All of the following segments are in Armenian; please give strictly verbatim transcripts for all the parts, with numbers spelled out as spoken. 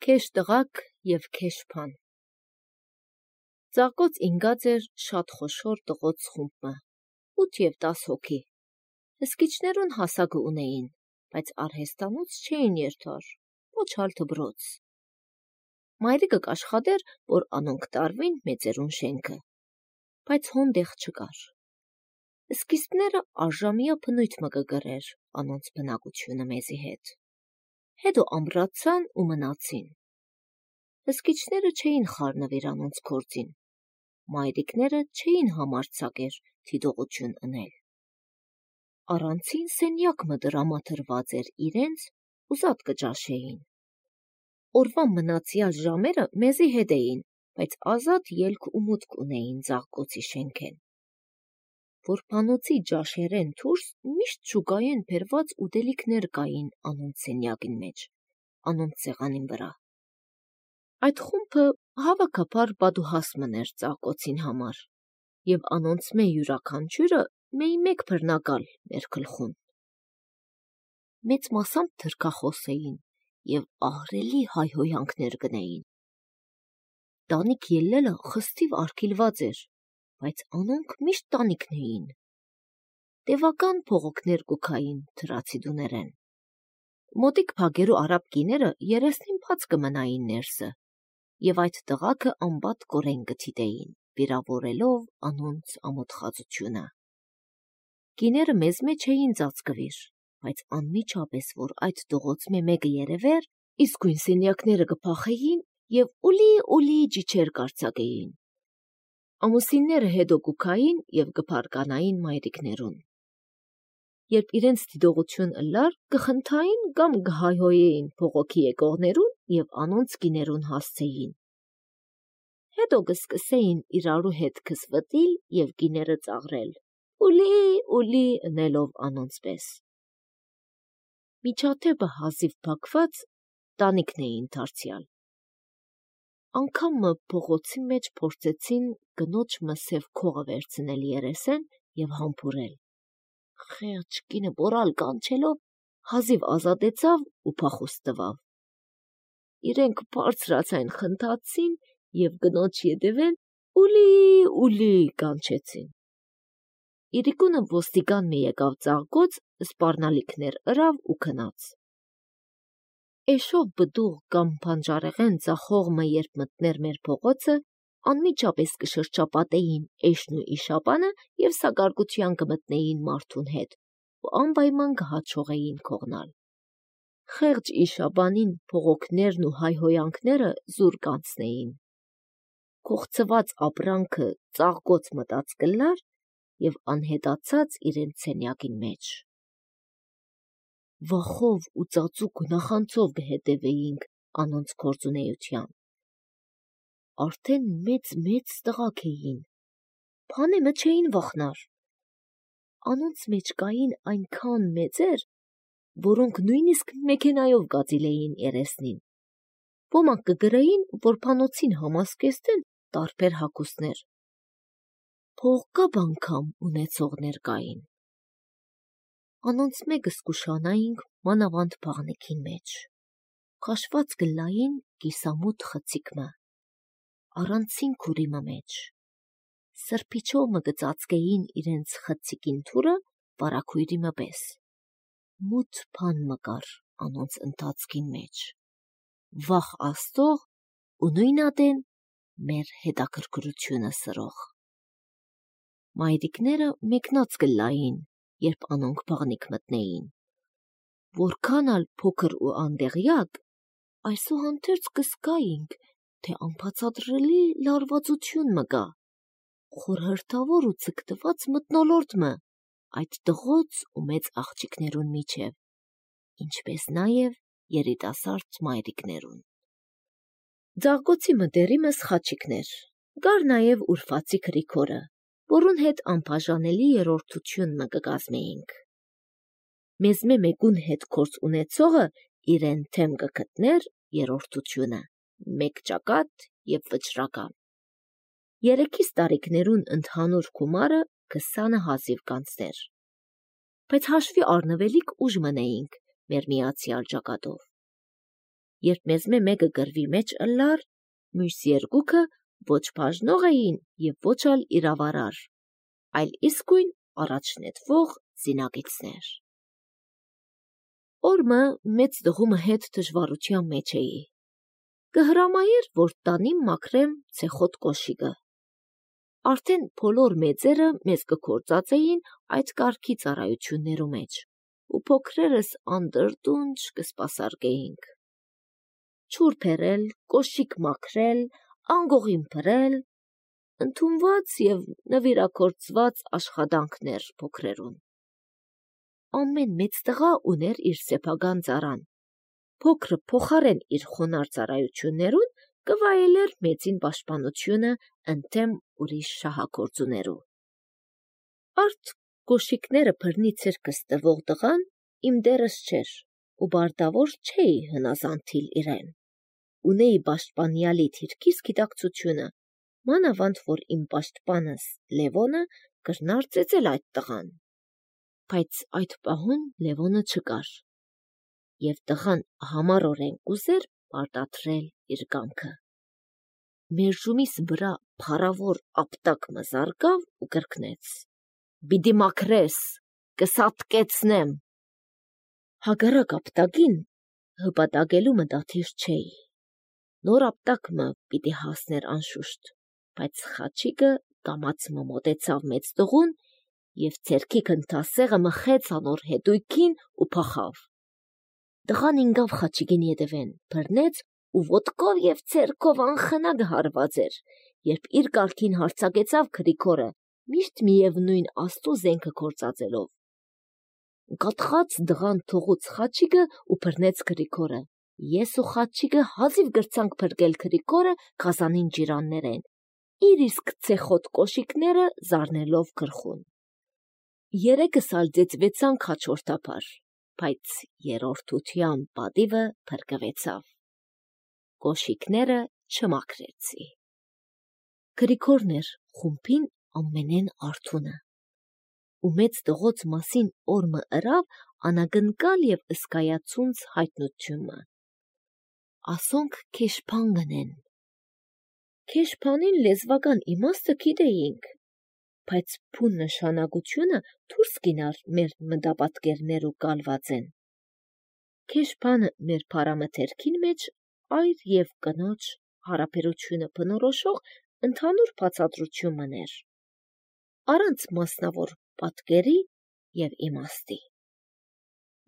Քեշ տղակ և քեշ փան։ Ծաղկոց ինգած էր շատ խոշոր տղոց խումբը, ութ և տաս հոգի։ Հսկիչներուն հասակը ունեին, բայց արհեստանոց չէին երթար, ոչ ալ դբրոց։ Մայրիկը կաշխատեր, որ անոնք տարվին մեծերուն շենքը, բայց հոնդեղ չկար։ Սկիզբները արժամիա բնույթ մը կգրեր անոնց բնակությունը մեզի հետ։ Հետո ամրացան ու մնացին։ Հսկիչները չէին խառնվիր անոնց գործին, մայրիկները չէին համարձակեր թիդողություն ընել։ Առանցին սենյակ մը դրամադրված էր իրենց ու զատ կճաշեին։ Օրվա մնացյալ ժամերը մեզի հետ էին, բայց ազատ ելք ու մուտք ունեին Ծաղկոցի շենքեն։ Որբանոցի ջաշերեն դուրս միշտ շուկայեն բերված ուտելիքներ կային անոնց սենյակին մեջ, անոնց սեղանին վրա։ Այդ խումբը հավաքաբար պատուհաս մներ Ծաղկոցին համար, և անոնց մե յուրաքանչյուրը մեի մեկ բռնակալ մեր գլխուն։ Մեծ մասամբ թրքախոս էին և ահռելի հայհոյանքներ գնեին։ Տանիք ելլելը խստիվ արգիլված էր, բայց անոնք միշտ տանիքն էին։ Տևական փողոքներ կուքային թրացի դուներեն։ Մոտիկ փագերու արաբ կիները երեսնին բաց կմնային ներսը, և այդ տղաքը անբատ կորեն կթիտեին, վիրավորելով անոնց ամոթխածությունը։ Կիները մեզ մեջ էին ծածկվիր, բայց անմիջապես, որ այդ տղոց մե մեկը երևեր, իսկույն սենյակները կփախեին և ուլի-ուլի ջիջեր կարձակեին։ Ամուսինները հետո կուքային և կփարկանային մայրիկներուն։ Երբ իրենց դիդողություն ըլլար, կխնդային կամ կհայհոյեին փողոքի եկողներուն և անոնց կիներուն հասցեին։ Հետո կսկսեին իրարու հետ քսվտիլ և կիները ծաղրել, ուլի-ուլի ընելով անոնց պես։ Միջադեպը հազիվ բակված տանիքն էին դարձյալ։ Անգամ մը փողոցի մեջ փորձեցին կնոջ մը սև քողը վերցնել երեսեն և համբուրել։ Խեղճ կինը բորալ կանչելով հազիվ ազատեցավ ու փախուստ տվավ։ Իրենք բարձրացայն խնդացին և կնոջ ետևեն ուլի-ուլի կանչեցին։ Իրիկունը ոստիկան մը եկավ Ծաղկոց, սպառնալիքներ ըրավ ու գնաց։ Էշով բդուղ կամ բանջարեղեն ծախող մը երբ մտներ մեր փողոցը, անմիջապես կշրջապատեին էշն ու իշապանը և սակարկության կմտնեին մարդուն հետ ու անպայման կհաջողեին քողնալ։ Խեղճ իշապանին փողոքներն ու հայհոյանքները զուր կանցնեին։ Կողծված ապրանքը Ծաղկոց մտած կլար և անհետացած իրենց սենյակին մեջ։ Վախով ու ծածուկ ու նախանձով կհետևեինք անոնց գործունեության։ Արդեն մեծ-մեծ տղաք էին, բանեմը չէին վախնար։ Անոնց մեջ կային այնքան մեծեր, որոնք նույնիսկ մեքենայով կածիլեին երեսնին։ Ոմանք կգրեին որբանոցին համազգեստեն տարբեր հագուստներ։ Փողկապ անգամ ունեցողներ կային։ Անոնց մեկը զգուշանայինք մանավանդ բաղնիքին մեջ։ Քաշված կլային կիսամութ խցիկ մը, առանցին քուրի մը մեջ։ Սրբիչով մը կծածկեին իրենց խցիկին թուրը վարագույրի մը պես։ Մութ բան մը կար անոնց ընթացքին մեջ։ Վախ Աստծող ու նույնատեն մեր հետաքրքրությունը սրող։ Մայրիկները մեկնած կլային, երբ անոնք բաղնիք մտնեին։ Որքան ալ փոքր ու անդեղյակ, այսուհանդերձ կզգայինք, թե անբացատրելի լարվածություն մը կա, խորհրդավոր ու ձգտված մթնոլորտ մը այդ տղոց ու մեծ աղջիկներուն միջև, ինչպես նաև երիտասարդ մայրիկներուն։ Ծաղկոցի մը դերիմս խաչիկներ, կար նաև Ուրվացի Գրիգորը, որուն հետ անբաժանելի երրորդություն մը կկազմեինք։ Մեզ մե մեկուն հետ գործ ունեցողը իրեն թեմ կգտներ երրորդությունը, մեկ ճակատ և վճռական։ Երեքիս տարիքներուն ընդհանուր գումարը քսանը հազիվ կանցներ, բայց հաշվի առնվելիք ուժ մնեինք մեր միացյալ ճակատով։ երբ մեզմե մեկը գրվի մեջ ըլլար, մյուս երկուքը ոչ բաժնող էին և ոչ ալ իրավարար, այլ իսկույն առաջնետվող զինագիծներ։ Օրմը մեծ դղումը հետ դժվարության մեջ էի։ Կհրամայեր, որ տանիմ մաքրեմ ցեխոտ կոշիկը։ Արդեն բոլոր մեծերը մեզ կգործածեին այդ կարգի ծառայություններու մեջ, ու փոքրերս անդրդունջ կսպասարկեինք։ Չուր բերել, կոշիկ մաքրել, անգողին փրել, ընդունված և նվիրագործված աշխատանքներ փոքրերուն։ Ամեն մեծ տղա ուներ իր սեփական ծառան, փոքրը փոխարեն իր խոնարհ ծառայություններուն կվայելեր մեծին պաշտպանությունը ընդդեմ ուրիշ շահագործուներու։ Արդ կոշիկները բռնի ցերկս տվող տղան իմ դերս չէր, ու բարտավոր չէի հնազանդիլ իրեն։ Ունեի պաշտպանյալի թիրքիս գիտակցությունը, մանավանդ որ իմ պաշտպանս Լևոնը կրնար ծեծել այդ տղան։ Բայց այդ պահուն Լևոնը չկար, և տղան համառորեն կուզեր պարտադրել իր կամքը։ Մերժումիս վրա փառավոր ապտակ մը զարկավ ու կրկնեց. «Պիտի մաքրես, կսատկեցնեմ»։ Հակառակ ապտակին հպատակելու մտադիր չէի։ Նոր ապտակը պիտի հասներ անշուշտ, բայց խաչիկը կամաց մը մոտեցավ մեծ տղուն և ձեռքի գնդասեղը մխեց անոր հետույքին ու փախավ։ Տղան ինկավ խաչիկին ետևեն, բռնեց ու ոտքով և ձեռքով անխնա գհարված էր, երբ իր կարգին հարձակեցավ Գրիգորը, միշտ միևնույն աստու զենքը գործածելով։ Կաթխաց տղան թողուց խաչիկը ու բռնեց Գրիգորը։ Ես ու խաչիկը հազիվ գրցանք փրկել Գրիգորը գազանին ջիրաններեն, իր իսկ ցեխոտ կոշիկները զարնելով գլխուն։ Երեքս ալ ծեծվեցանք հաջորդաբար, բայց երրորդության պատիվը փրկվեցավ։ Կոշիկները չմաքրեցի։ Գրիգորն էր խումբին ամենեն արթունը, ու մեծ տղոց մասին օրմը ըրավ անագնկալ և ըսկայացունց հայտնությունը։ Ասոնք քեշփան գնեն։ Քեշփանին լեզվական իմաստը գիտեինք, բայց փուն նշանակությունը դուրս գինար մեր մտապատկերներու կալվածեն։ Քեշփանը մեր փարամթերքին մեջ այր և կնոջ հարաբերությունը բնորոշող ընդհանուր բացատրություն մներ, առանց մասնավոր պատկերի և իմաստի։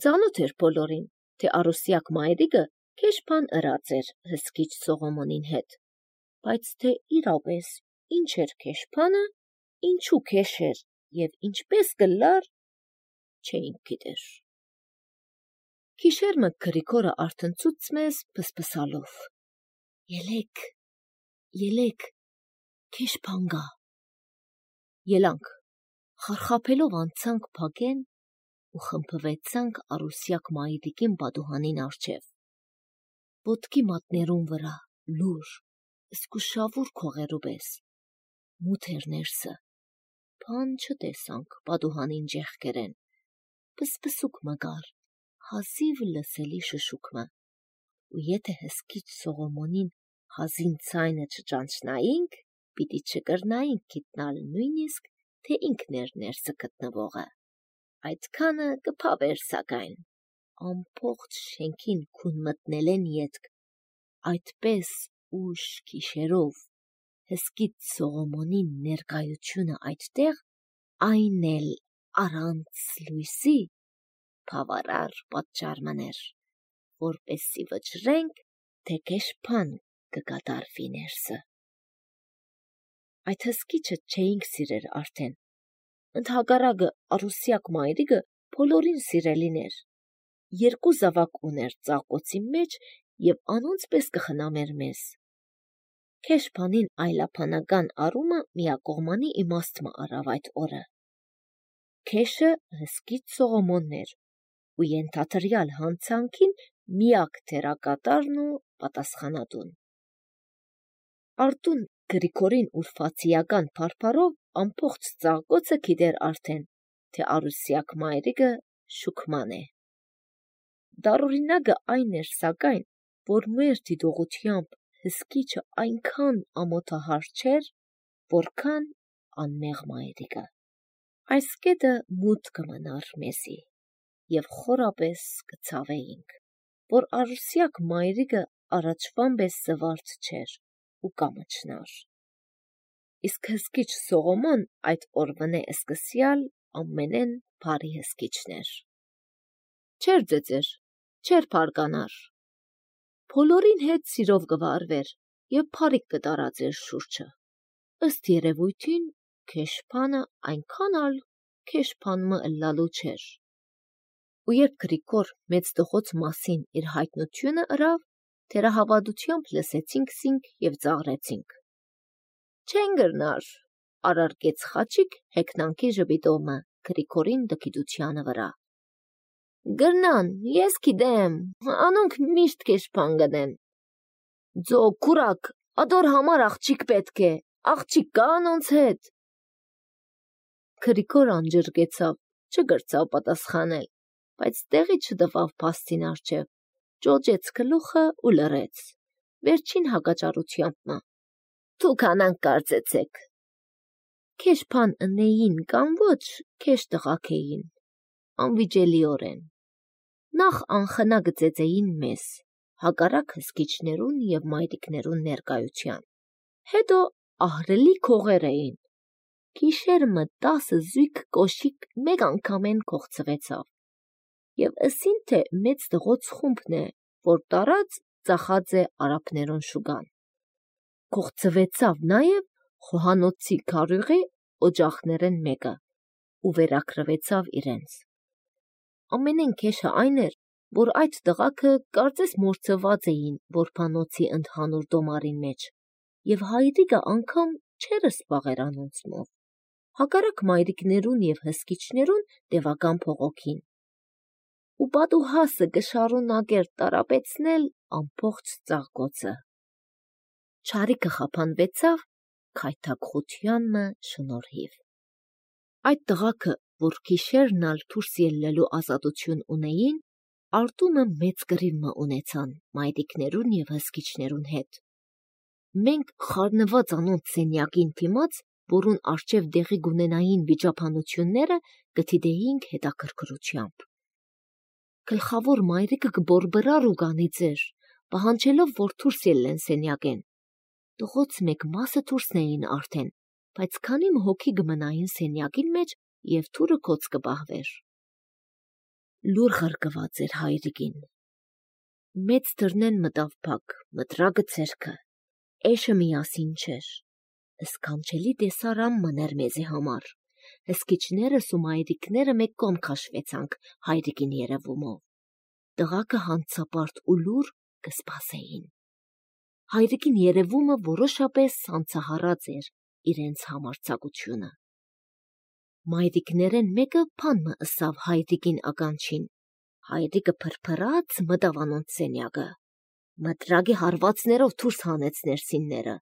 Ծանոթ էր բոլորին, թե Արուսյակ մայրիկը քեշփան ըրած էր Հսկիչ Սողոմոնին հետ, բայց թե իրապես ինչ էր քեշփանը, ինչու քեշեր և ինչպես կլար, չէինք գիտեր։ Գիշերմը Գրիգորը արթնցուց մեզ փսփսալով. «Ելեք, ելեք, քեշփան գա»։ Ելանք, խարխափելով անցանք փակեն ու խմբվեցանք Արուսյակ մայրիկին պատուհանին առջև։ Ոտքի մատներուն վրա լուր, զգուշավոր քողերու պես, մութ էր ներսը, բան չտեսանք պատուհանին ճեղքերեն, պսպսուկ մը կար, հազիվ լսելի շշուկմը, ու եթե Հսկիչ Սողոմոնին հազին ցայնը չճանչնայինք, պիտի չկրնայինք գիտնալ նույնիսկ, թե ինքն էր ներսը գտնվողը։ Այդքանը կփավեր սակայն, ամբողջ շենքին քուն մտնելեն ետք, այդպես ուշ գիշերով Հսկիչ Սողոմոնի ներկայությունը այդտեղ, այն էլ առանց լույսի, բավարար պատճառ մըներ, որպեսզի վճռենք, թե քեշփան կկատարվի ներսը։ Այդ հսկիչը չէինք սիրեր արդեն, ընդհակառակը Արուսյակ մայրիկը բոլորին սիրելին էր, երկու զավակ ուներ ծաղկոցի մեջ և անոնց պես կխնամեր մեզ։ Քեշփանին այլաբանական առումը միակողմանի իմաստ մը առավ այդ օրը։ Քեշը Հսկիչ Սողոմոնն էր ու ենթադրյալ հանցանքին միակ դերակատարն ու պատասխանատուն։ Արտուն Գրիգորին ուրվացիական փարփարով ամբողջ ծաղկոցը գիտեր արդեն, թե Արուսյակ մայրիկը շուքման է։ Դառօրինակը այն էր սակայն, որ մեր դիտողությամբ հսկիչը այնքան ամոթահար չէր, որքան անմեղ մայրիկը։ Այս կետը մութ կմնար մեզի, և խորապես կցավեինք, որ արուսյակ մայրիկը առաջվան պես զվարթ չէր ու կամչնար։ Իսկ հսկիչ Սողոմոն այդ օրվնե սկսյալ ամենեն բարի հսկիչներ։ Չէր ձեծեր, չէր փարկանար, բոլորին հետ սիրով կվարվեր և փարիք կտարածեր շուրջը։ Ըստ երևույթին քեշփանը այնքան ալ քեշփան ըլլալու չէր։ Ու երբ Գրիգոր մեծ տղոց մասին իր հայտնությունը ըրավ, թերահավատությամբ լսեցինք զինք և ծաղրեցինք։ Չեն գրնար, արարկեց Խաչիկ հեգնանքի ժպիտովը Գրիգորին դքիդությանը վրա։ Գրնան, ես գիտեմ, անոնք միշտ քեշփան գնեն։ Ձո քուրակ, ադոր համար աղջիկ պետք է, աղջիկ կա անոնց հետ։ Գրիգոր անջրկեցավ, չգրծավ պատասխանել, բայց տեղի չտվավ փաստին առջև, ճոճեց գլուխը ու լռեց, վերջին հակաճառությամբ։ Դուք անանք կարծեցեք։ Քեշփան ընեին կամ ոչ, քեշ տղաք էին, անվիճելիորեն։ Նախ անխնա գծեծեին մեզ, հակառակ հսկիչներուն և մայրիկներուն ներկայության, հետո ահռելի քողեր էին։ Գիշերմը տասը զույգ կոշիկ մեկ անգամեն կողցվեցավ, և ըսին թե մեծ տղոց խումբն է, որ տարած ծախած է արաբներուն շուգան։ Կողցվեցավ նաև խոհանոցի քարյուղի օջախներեն մեկը ու վերակրվեցավ իրենց։ Ամենեն քեշը այն էր, որ այդ տղաքը կարծես մորցված էին որբանոցի ընդհանուր դոմարին մեջ, և հայրիկը անգամ չէր սպաղեր անոնցմով, հակառակ մայրիկներուն և հսկիչներուն տևական փողոքին։ Ու պատուհասը կշարունակեր տարապեցնել ամբողջ ծաղկոցը։ Չարիքը խափանվեցավ քայթակղությանմը շնորհիվ։ Այդ տղաքը, որ գիշերն ալ դուրս ելլելու ազատություն ունեին, արտումը մեծ կռիվը ունեցան մայրիկներուն և հսկիչներուն հետ։ Մենք խառնված անոնց սենյակին դիմաց, որուն առջև դեղի գունենային վիճաբանությունները կդիտեինք հետաքրքրությամբ։ Գլխավոր մայրիկը կբորբրար ու կանի ձեր, պահանջելով, որ դուրս ելլեն սենյակեն։ Տղոց մեկ մասը դուրսն էին արդեն, բայց քանի հոգի կմնային սենյակին մեջ և դուռը գոց կպահվեր։ Լուր ղրկված էր հայրիկին։ Մեծ դռնեն մտավ փակ, մտրակը ձեռքը, էշը միասին չէր։ Սքանչելի տեսարան մներ մեզի համար։ Հսկիչներս ու մայրիկները մեկ կողմ քաշվեցանք հայրիկին երևումով։ Տղաքը հանցապարտ ու լուր կսպասեին։ Հայրիկին երևումը որոշապես հանցահարած էր իրենց համարձակությունը։ Մայրիկներեն մեկը բանմը ըսավ հայրիկին ականջին։ Հայրիկը փրփրաց մտավ անոնց սենյակը։ Մտրակի հարվածներով դուրս հանեց ներսինները։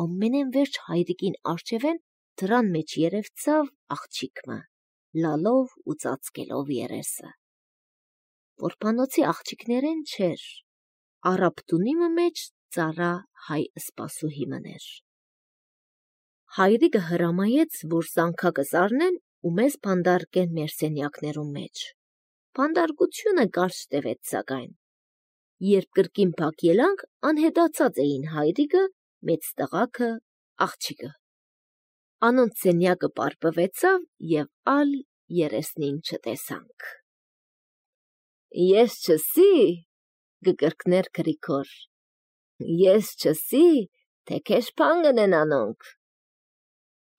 Ամենեն վերջ հայրիկին առջևեն դրան մեջ երևցավ աղջիկը, լալով ու ծածկելով երեսը։ Որբանոցի աղջիկներեն չէր, արաբ տունիմը մեջ ծառա հայ սպասուհի մներ։ Հայրիկը հրամայեց, որ զանգակը զարնեն ու մեզ բանդարկեն մեր սենյակներուն մեջ։ Բանդարկությունը կարճ տևեց սակայն։ Երբ կրկին փակ ելանք, անհետացած էին հայրիկը, մեծ տղաքը, աղջիկը։ Անոնց սենյակը պարպվեցավ և ալ երեսնին չտեսանք։ Ես չսի, կկրկներ Գրիգոր, ես չսի, թե քեշփան գնեն անոնք։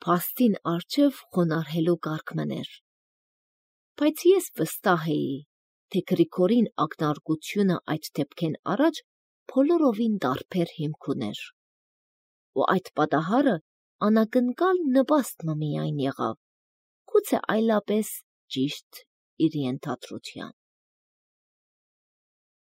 Փաստին առջև խոնարհելու կարգ մներ։ Բայց ես վստահ էի, թե Գրիգորին ակնարկությունը այդ դեպքեն առաջ բոլորովին տարբեր հիմք ուներ։ Ու այդ պատահարը անակնկալ նպաստ միայն եղավ, գուցե այլապես ճիշտ իր ենթադրության։